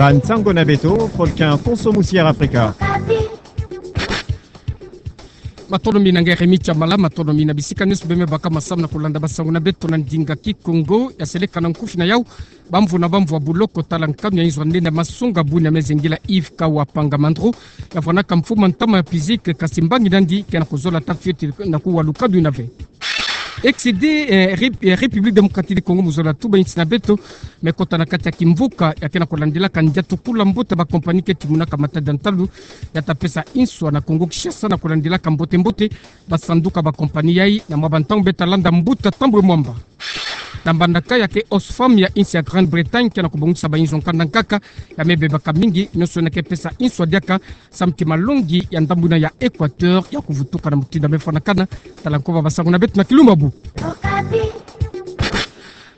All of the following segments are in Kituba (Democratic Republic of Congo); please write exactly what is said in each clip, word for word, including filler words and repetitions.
Bansango na beto, Volcan Konso Musière Afrika. Matondo mingi na ngeremi tia mala, matondo mingi na bisika nyonso bima baka masamu na kulanda basango na beto na ndinga Kikongo. Ya seleka na nkufi na yau bamvu na bamvu ya buloko tala nkanu ya inzo ya nene ya masonga bunia me zengila Yves Kawa Panga Mandro. Ya vwanaka mfumu a ntama ya physique, kasi mbangi nandi ke na kuzola ta fioti na kuwa lukanu ina ve. Ex-D, eh, Rep-, eh, République Démocratique du Congo mu zola tuba insi na beto, me kota na kati ya kimvuka ya ke na kulandilaka ndia tukula mbuta ba compagnie ke timunaka matadi ya ntalu, ya ta pesa inswa na Congo Kinshasa na kulandilaka mbote mbote ba sanduka ba compagnie yai, na mwa ba ntangu beta landa mbuta Tambwe Mwamba. Na mbandaka ya ke Oxfam ya insi ya Grande-Bretagne ke na kubongisa ba inzo nkanda nkaka, ya me bebaka mingi, nyonso na ke pesa inswa diaka, samu ti malongi ya ndambu ina ya Équateur ya kuvutuka na mutindu ya me fwanakana. Tala nkoba basango na beto na kilumbu.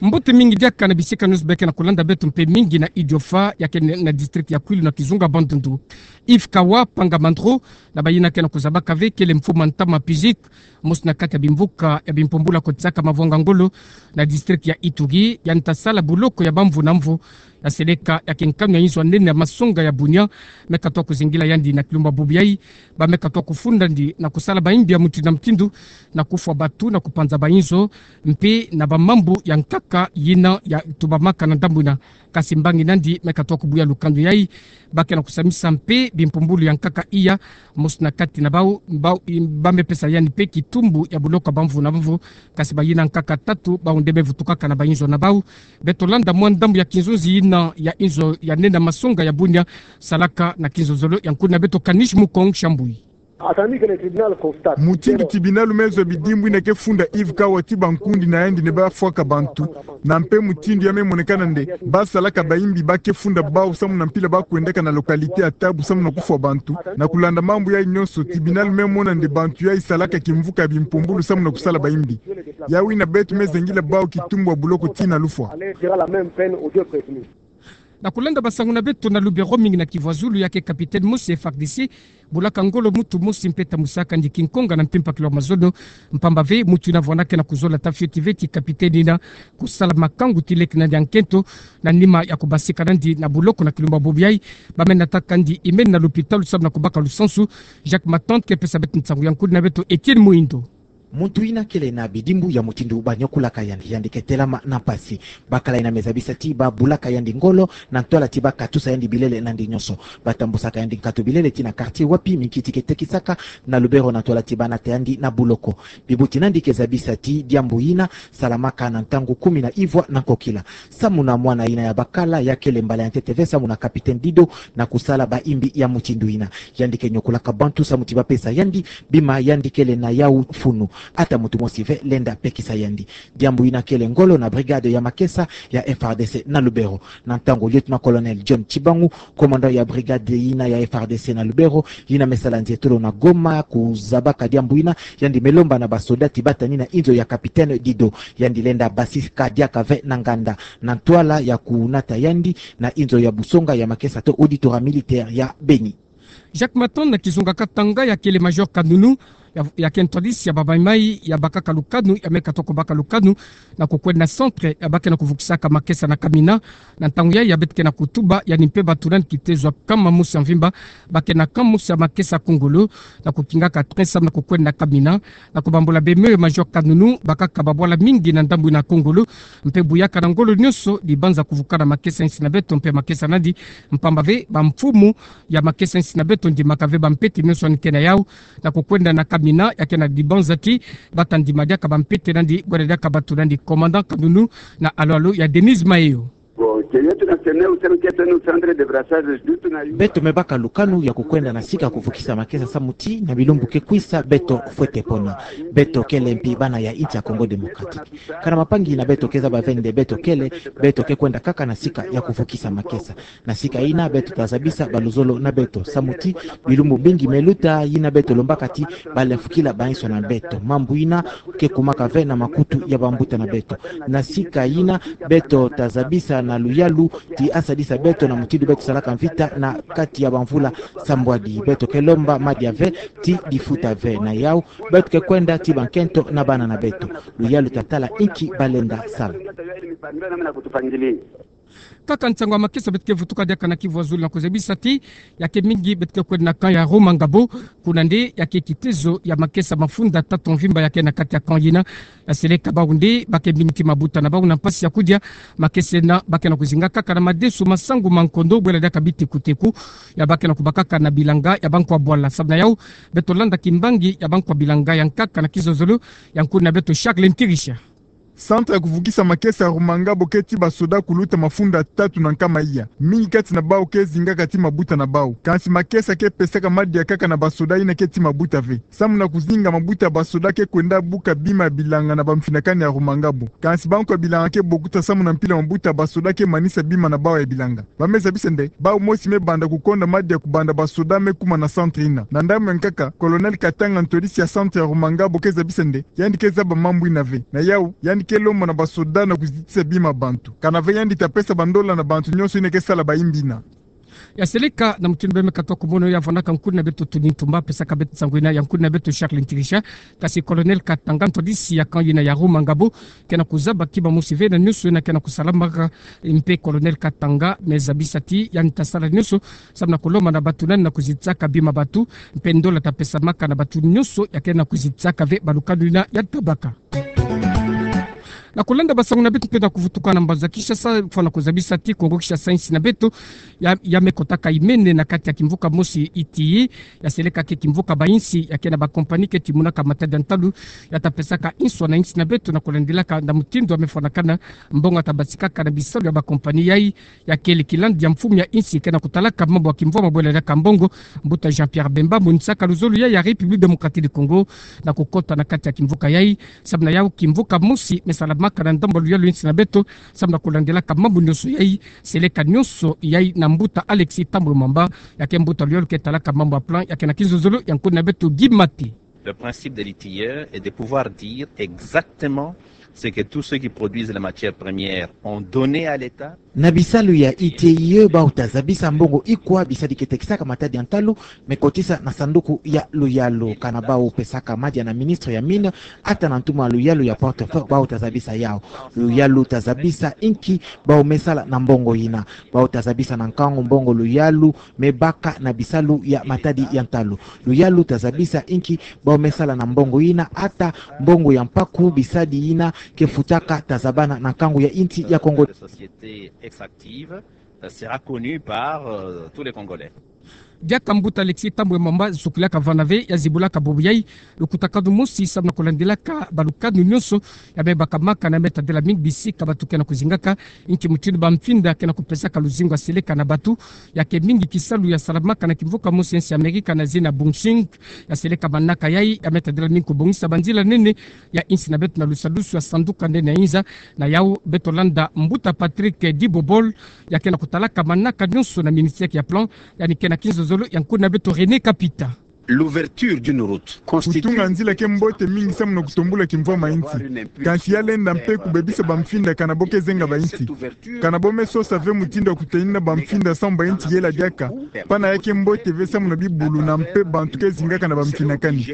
Mbote mingi diaka na bisika nyonso bima ke na kulanda beto mpe mingi na Idiofa ya ke na district ya Kwilu na kizunga Bandundu. Yves Kawa Panga Mandro, na bayina ke na kuzabaka ve kele mfumu a ntama physique, mosi na kati ya bimvuka ya bimpumbulu ya kotisaka mavwanga ngolo na district ya Ituri, yandi ta sala buloko ya bamvu na mvu, ya seleka ya ke nkanu ya inzo ya nene ya masonga ya bunia, me katoa kuzingila yandi na kilumbu bubu yai, ba me katoa kufunda ndi na kusala ba imbi ya mutindu na mutindu, na kufwa batu, na kupanza ba inzo, mpe na ba mambu ya nkaka yina ya tubamaka na ndambu ina. Kasi mbangi nandi me katoa kubuya lukanu yai, ba ke na kusamisa mpe bimpumbulu ya nkaka iya, mosi na kati na bau, bau, ba me pesa yandi mpe kitumbu ya buloko bamvu na mvu, kasi bayina nkaka tatu bau nde me vutukaka na ba inzo na bau. Beto landa mwa ndambu ya kinzonzi yina ya inzo ya nene ya masonga ya bunia, salaka na kinzonzolo ya nkuna beto Kanish Mukong Shambui. Mutindu tibinalu me zwa bidimbu ina ke funda Yves Kawa ti bankundi na yandi nde ba fwaka bantu, na mpe mutindu ya me monekana nde ba salaka ba imbi ba ke funda bau samu na mpila ba kwendaka na localité ya Tabu samu na kufwa bantu. Na kulanda mambu yai nyonso, tibinalu me mona nde bantu yai salaka kimvuka ya bimpumbulu samu na kusala ba imbi. Yau ina beto me zengila bau kitumbu ya buloko tii na lufwa. Na kulanda basango na beto na Lubero, mingi na Kivu ya Zulu ya ke capitaine mosi F R D C bulaka ngolo muntu mosi mpe tambusaka ndi kinkonga na mpimpa kilomètre mazono. Mpamba ve muntu ina vwanaka na kuzola ta fioti ve ti capitaine ina kusala makangu ti leke nandi ya nkento na nima ya kubasika nandi na buloko na kilumbu bubu yai. Ba me nataka ndi imeni na lopitalu samu na kubaka lusansu. Jacques Matante ke pesa beto nsangu ya nkudi na beto Etienne Muindo. Muntu ina kele na bidimbu ya mutindu ba nyokulaka yandi, yandi ke telama na mpasi. Bakala ina me zabisa ti ba bulaka yandi ngolo na ntwala ti ba katusa yandi bilele nandi nyonso. Ba tambusaka yandi nkatu bilele tii na quartier wapi minkiti ke tekisaka na Lubero na ntwala ti ba nata yandi na buloko. Bibuti nandi ke zabisa ti diambu ina salamaka na ntangu kumi na ivwa na nkokila. Samu na mwana ina ya bakala, ya kele mbala ya ntete ve samu na capitaine Dido na kusala ba imbi ya mutindu ina. Yandi ke nyokulaka bantu samu ti ba pesa yandi bima yandi kele na yau funu. Ata muntu mosi ve lenda pekisa yandi. Diambu ina kele ngolo na brigade ya makesa ya F R D C na Lubero. Na ntangu lieutenant-colonel John Tshibangu, commandant ya brigade ina ya F R D C na Lubero, ina me sala nzietolo na Goma kuzabaka diambu ina, yandi me lomba na ba soda ti ba tani na inzo ya capitaine Dido. Yandi lenda basika diaka ve na nganda na ntwala ya kunata yandi na inzo ya busonga ya makesa to auditorat militaire ya Beni. Jacques Matante na kizunga Katanga, ya kele major Kanunu, ya, ya ke ntwadisi ya ba maimai ya bakaka lukanu, ya me katoa kubaka lukanu na kukwenda na centre ya ba ke na kuvukisaka makesa na Kamina. Na ntangu yai ya beto ke na kutuba, yandi mpe bato nani kite zwa nkama mosi ya mvimba, ba ke na camp mosi ya makesa Kongolo, na kukingaka train samu na kukwenda na Kamina, na kubambula bemeo ya major Kanunu, bakaka babwala mingi na ndambu ina Kongolo, mpe buyaka na ngolo nyonso dibanza kuvuka na makesa insi na beto mpe makesa nandi, mpamba ve bamfumu ya makesa insi na beto ndimaka ve bampete nyonso yandi ke na yau, na kukwenda na Kamina, ya ke na dibanza ti ba ta ndima diaka bampete nandi, bwena diaka bato nandi. Commandant Kanunu na alo-alo ya Denise Mayo. Bon, ke yetu na sene useme ke tenu centre de brassage du tuna yu. Beto me baka lukanu ya kukwenda na sika kuvukisa makesa samu ti na bilumbu ke kwisa beto fwete pona. Beto kele mpi bana ya insi ya Congo Démocratique. Kana mapangi na beto ke zaba ve nde beto kele, beto ke kwenda kaka na sika ya kuvukisa makesa. Na sika ina beto ta zabisa baluzolo na beto samu ti bilumbu mbingi me luta, ina beto lombaka ti ba lemfukila bainso na beto. Mambu ina ke kumaka ve na makutu ya bambuta na beto. Na sika ina beto ta zabisa na luyalu ti asadisa beto na mutindu beto salaka mvita na kati ya bamvula sambwadi. Beto ke lomba madia ve ti difuta ve na yau. Beto ke kwenda ti bankento na bana na beto. Luyalu ta tala inki ba lenda sala. Kaka nsangu ya makesa beto ke vutuka diaka na kivu ya zulu na kuzabisa ti, ya ke mingi beto ke kwenda na camp ya Rumangabo, kuna nde ya ke kitezo ya makesa mafunda tatu mvimba ya ke na kati ya camp yina. Ya seleka bau nde ba ke mingi ti mabuta na bau na mpasi ya kudia, makesa yina ba ke na kuzinga kaka na madeso ma sangu ma nkondo, bwela diaka biteku-teku, ya ba ke na kubakaka na bilanga ya bankwa bwala. Samu na yau, beto landa kimbangi ya bankwa bilanga ya nkaka na kizozolo ya nkuna beto Charles Ntirisha. Centre ya kuvukisa makesa ya Rumangabo ke ti basoda kuluta mafunda tatu na nkama iya. Mingi kati na bau ke zingaka ti mabuta na bau. Kansi makesa ke pesaka madia kaka na basoda yina ke ti mabuta ve. Samu na kuzinga mabuta ya basoda ke kwenda buka bima ya bilanga na bamfinakani ya Rumangabo. Kansi bankwa bilanga ke bokuta samu na mpila mabuta ya basoda ke manisa bima na bau ya bilanga. Ba me zabisa nde, bau mosi me banda kukonda madia kubanda basoda me kuma na centre yina. Na ndambu ya nkaka, Colonel Katanga, ntwadisi ya centre ya Rumangabo, ke zabisa nde, yandi ke zaba mambu yina ve. Na yau, yandi ke lomba na basoda na kuzitisa bima ya bantu. Kana ve yandi ta pesa bandola na bantu nyonso yina ke sala bayimbi yina. Ya seleka na mutindu bê me katuka kumono ya vwanaka nkuna beto Tony Ntumba, pesaka beto nsangu yina ya nkuna beto Charles Ntirisha. Kansi Colonel Katanga, ntwadisi ya camp yina ya Rumangabo, ke na kuzaba kima mosi ve na nyonso yina ke na kusalamaka. Mpe Colonel Katanga me zabisa ti yandi ta sala nyonso samu na kulomba na bato nani na kuzitisaka bima ya bato, mpe ndola ta pesamaka na bato nyonso ya ke na kuzitisaka ve balukanu yina ya tabaka. Na kulanda basangu na beto mpe na kuvutuka na mbanza Kinshasa, fwana kuzabisa ti Kongo Kinshasa, insi na beto, ya, ya me kotaka imene na kati ya kimvuka mosi itiyi. Ya seleka ke kimvuka ba insi ya ke na ba compagnie ke timonaka matadi ya ntalu, ya ta pesaka inswa na insi na beto na kulandilaka na mutindu ya me fwanakana mbongo ya ta basikaka na bisalu ya ba compagnie yayi. Ya kele kilandi ya mfumu ya insi ke na kutalaka mambu ya kimvwama bwela diaka mbongo, mbuta Jean-Pierre Bemba, monisaka luzolo yayi ya République Démocratique du Congo na kukota na kati ya kimvuka yayi. Samu na yau kimvuka mosi me salamaka na ndambu ya luyalu ya insi na beto, samu na kulandilaka mambu nyonso yayi, seleka nyonso yayi na mbuta Alexis Thambwe Mwamba, ya ke mbuta luyalu ke talaka mambu ya plan ya ke na kizozolo ya nkuna beto Guy Mate. Le principe de l'I T I E est de pouvoir dire exactement ce que tous ceux qui produisent les matières premières ont donné à l'État. Na bisalu ya I T I E, bau ta zabisa mbongo ikwa bisadi ke tekisaka matadi ya ntalu me kotisa na sanduku ya luyalu. Kana bau pesaka madia na ministre ya mine, ata na ntumwa luyalu ya portefeuille, bau ta zabisa yau. Luyalu ta zabisa inki bau me sala na mbongo yina. Bau ta zabisa na nkangu mbongo luyalu me baka na bisalu ya matadi ya ntalu. Luyalu ta zabisa inki bau me sala na mbongo yina, ata mbongo ya mpaku bisadi yina ke futaka ta zabana na nkangu ya insi ya Kongo. Société extractive, euh, sera connue par, euh, tous les Congolais. Diaka mbuta Alexis Thambwe Mwamba sukilaka vana ve, ya zibulaka bubu yayi lukutakanu mosi samu na kulandilaka balukanu nyonso ya me bakamaka na me tadila mingi bisika bato ke na kuzingaka, inki mutindu ba mfinda ke na kupesaka luzingu ya seleka na bato. Ya ke mingi kisalu ya salamaka na kimvuka mosi ya insi Amerika na zina bunching. Ya seleka manaka yayi ya me tadila mingi kubongisa banzila nene ya insi na beto na lusadusu ya sanduku nene ya inza. Na yau beto landa mbuta Patrick Dibobol, ya ke na kutalaka manaka nyonso na ministère ya plan, yandi ke na kizozolo ya nkuna beto René Kapita. L'ouverture d'une route constitue... Kutunga nzila ke mbote mingi samu na kutombula kimvwama ya insi. Kansi ya lenda mpe kubebisa ba mfinda kana bo ke zenga ba insi. Kana bo me sosa ve mutindu ya kutenina ba mfinda samu ba insi yela diaka, pana ya ke mbote ve samu na bibulu na mpe bantu ke zingaka na ba mfinakani.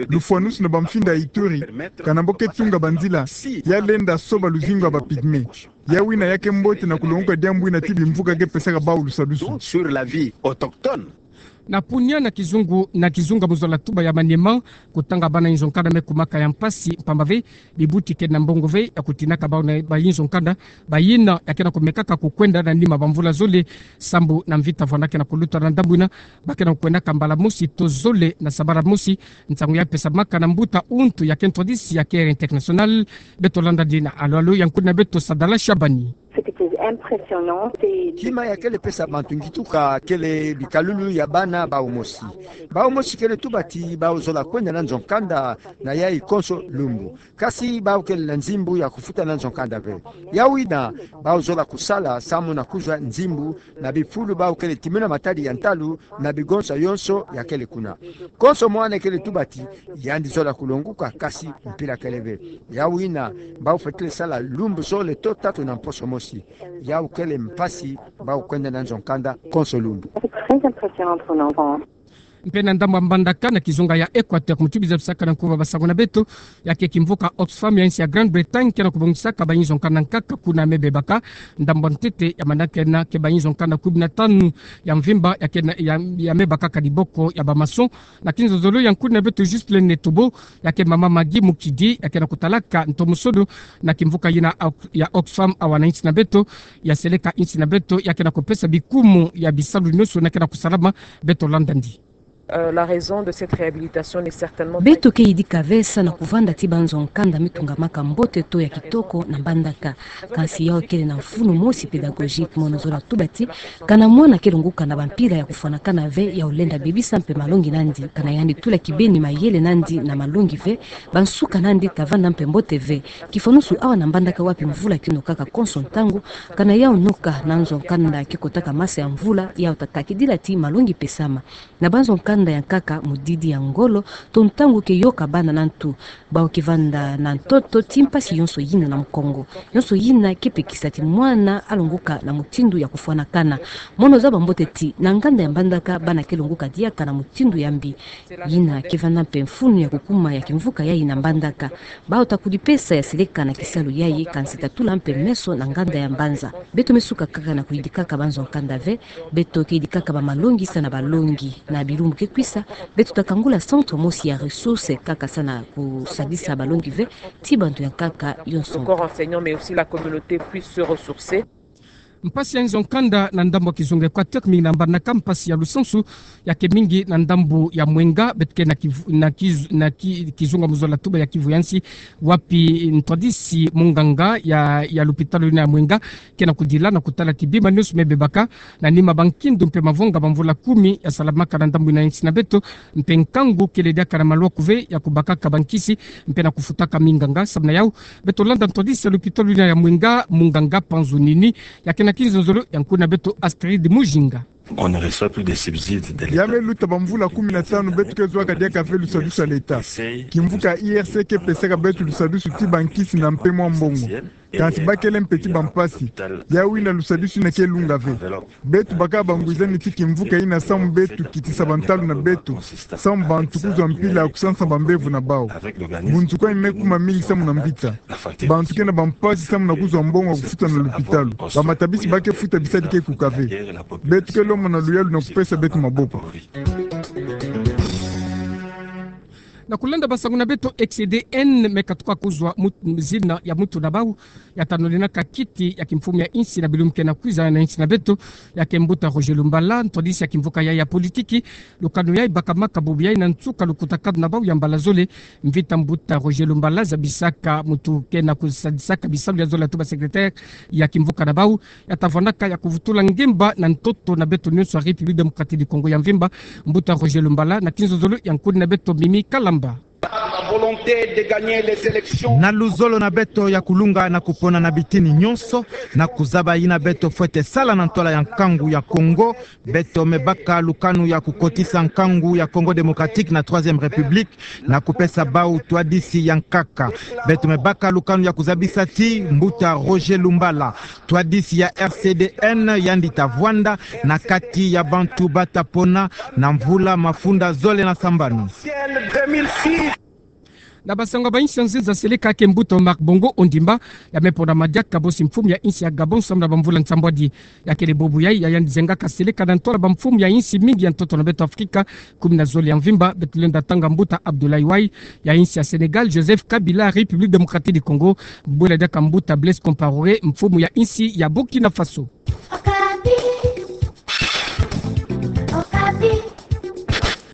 Lufwanusu na ba mfinda ya Ituri, kana bo ke tunga banzila, ya lenda soba luzingu ya ba pygmées. Yawu yina ya ke mbote na kulongoka diambu yina ti bimvuka ke pesaka bawu lusadusu. Sur la vie autochtone. Na Bunia, na kizunga, na kizunga mu zola tuba ya Maniema, kutanga bana inzo nkanda me kumaka ya mpasi, mpamba ve bibuti ke na mbongo ve ya kutinaka bawu na bayinzo nkanda, bayina ya ke na kumekaka kukwenda na nima ba mvula zole, sambu na mvita vwanda ke na kuluta na ndambu yina, ba ke na kukwendaka mbala mosi to zole na sabala mosi. Nsangu ya pesamaka na mbuta Untu ya ke ntwadisi ya Care International. Beto landa dina alo alo ya nkuna beto Sadala Shabani. C'était impressionnant. Kima ya kele pesa bantu ngituka kele bikalulu ya bana bawu mosi. Bawu mosi kele tuba ti bawu zola kwenda na nzo nkanda na yayi konso lumbu. Kasi bawu kele na nzimbu ya kufuta na nzo nkanda ve. Yawu yina bawu zola kusala samu na kuzwa nzimbu na bifulu bawu kele timuna matadi ya ntalu na bigonsa yonso ya kele kuna. Konso mwana kele tuba ti yandi zola kulonguka, kasi mpila kele ve. Yawu yina bawu fwetele sala lumbu zole to tatu na mposo mosi. Yawu kele mpasi bawu kwenda na nzo nkanda konso lumbu. C'est très impressionnant pour un enfant. Mpe na ndambu ya mbandaka na kizunga ya Equateur, mutu biza bisaka na nkuba basango na beto, ya ke kimvuka Oxfam ya insi ya Grande-Bretagne ke na kubongisaka bayinzo nkanda nkaka kuna mebebaka. Ndambu ya ntete ya manakena ke bayinzo nkanda kumi na tanu ya mvimba ya ke na, ya, ya mebaka ka diboko ya ba maçon. Na kinzonzolo ya nkuni na beto Justine Netobo, ya ke mama Maggie Mukidi, ya ke na kutalaka ntomosono na kimvuka yina Ox-, ya Oxfam awa na insi na beto, ya seleka insi na beto, ya ke na kupesa bikumu ya bisalu nionso na ke na kusalama. Beto landa ndi. Euh, la raison de cette réhabilitation n'est certainement pas... Beto ke yidika ve sa na kuvanda ti banzo nkanda mitungamaka mbote to ya kitoko na mbandaka. Kansi yau kele na mfunu mosi pédagogique, mono zola tuba ti, kana mwana ke lunguka na bampila ya kufwanakana ve, yau lenda bebisa mpe malongi nandi, kana yandi tula kibeni mayele nandi na malongi ve, bansuka nandi ta vanda mpe mbote ve. Kifwanusu awa na mbandaka wapi mvula ke nokaka konso ntangu, kana yau noka na nzo nkanda ke kotaka masa ya mvula, yau ta takidila ti malongi pesama. Na banzo nkanda ya nkaka, mudidi ya ngolo, to ntangu ke yoka bana na ntu, bau ke vanda na ntoto ti mpasi yonso yina na mukongo. Yonso yina ke pekisa ti mwana alonguka na mutindu ya kufwanakana. Mono zaba mbote ti, na nganda ya mbandaka bana ke longuka diaka na mutindu ya mbi. Yina ke vanda mpe mfunu ya kukuma ya kimvuka yayi na mbandaka. Bau ta kudipesa ya seleka na kisalu yayi, kansi ta tula mpe meso na nganda ya mbanza. Beto me suka kaka na kuyidikaka banzo nkanda ve, beto ke yidikaka bamalongi sa na balongi. Na bilumbu ke kwisa, beto ta kangula centre mosi ya ressources kaka sa na kusadisa balongi ve, ti bantu ya nkaka yonso. Le corps enseignant, mais aussi la communauté puisse se ressourcer. Mpasi ya nzo nkanda na ndambu ya kizunga Equateur, mingi na mbandaka, mpasi ya lusansu ya ke mingi na ndambu ya Mwenga, beto ke na Kivu, na Kiz-, na Ki-, kizunga mu zola tuba ya Kivu ya nsi, wapi ntwadisi munganga ya, ya lupitalu yina ya Mwenga ke na kudila na kutala ti bima nionso mebebaka na nima bankindu mpe mavonga ba mvula kumi ya salamaka na ndambu yina ya insi na beto, mpe nkangu kele diaka na maluaku ve ya kubakaka bankisi mpe na kufutaka minganga. Samu na yau, beto landa ntwadisi ya lupitalu yina ya Mwenga, munganga Panzu Nini, ya ke na kinzonzolo ya nkuni na beto Astrid Mujinga. On ne reçoit plus de subsides de l'État. Ya me luta ba mvula kumi na tanu beto ke zuaka diaka ve lusadusu ya l'État. Kimvuka I R C ke pesaka beto lusadusu ti bankisi na mpe mwa mbongo. Kansi ba kele mpe ti bampasi. Yau yina lusadusu yina ke lunga ve. Beto baka bangwizani ti kimvuka yina samu beto kitisa bantalu na beto, samu bantu kuzwa mpila ya kusansa bambevo na bau. Bunzukani me kuma mingi samu na mvita. Bantu ke na bampasi samu na kuzwa mbongo ya kufuta na lupitalu. Bamatabisi ba ke futa bisadi ke kuka ve. Beto ke lomba na luyalu na kupesa beto maboko. Na kulanda basango na beto, R C D N me katuka kuzwa mut-, zina ya muntu na bau ya ta noninaka kiti ya kimfumu ya insi na bilumbu ke na kwiza na insi na beto, ya ke mbuta Roger Lumbala, ntwadisi ya kimvuka yayi ya politiki. Lukanu yayi bakamaka bubu yayi na nsuka lukutakanu na bau ya mbala zole. Mvita mbuta Roger Lumbala zabisaka muntu ke na kusadisaka bisalu ya zola tuba secrétaire ya kimvuka na bau, ya ta vwanaka ya kuvutula ngemba na ntoto na beto nionso ya République Démocratique du Congo ya mvimba. Mbuta Roger Lumbala, na kinzonzolo ya nkuni na beto Mimi Kalamba. Na luzolo na beto ya kulunga na kupona na bitini nionso, na kuzaba yina beto fwete sala na ntwala ya nkangu ya Congo, beto me baka lukanu ya kukotisa nkangu ya Congo Démocratique na Troisième République, na kupesa bau ntwadisi ya nkaka. Beto me baka lukanu ya kuzabisa ti mbuta Roger Lumbala, ntwadisi ya R C D N, yandi ta vwanda na kati ya bantu ba ta pona na mvula mafunda zole na sambanu. Na basango ya bainsi ya nzenza seleka, ke mbuta Omar Bongo Ondimba, ya me ponama diaka bosi mfumu ya insi ya Gabon samu na bamvula nsambwadi. Ya kele bubu yayi ya yandi zengaka seleka na ntwala bamfumu ya insi mingi ya ntoto na beto Afrika, kumi na zole ya mvimba. Beto lenda tanga mbuta Abdoulaye Wade ya insi ya Sénégal, Joseph Kabila République Démocratique du Congo, bwela diaka mbuta Blaise Compaoré, mfumu ya insi ya Burkina Faso.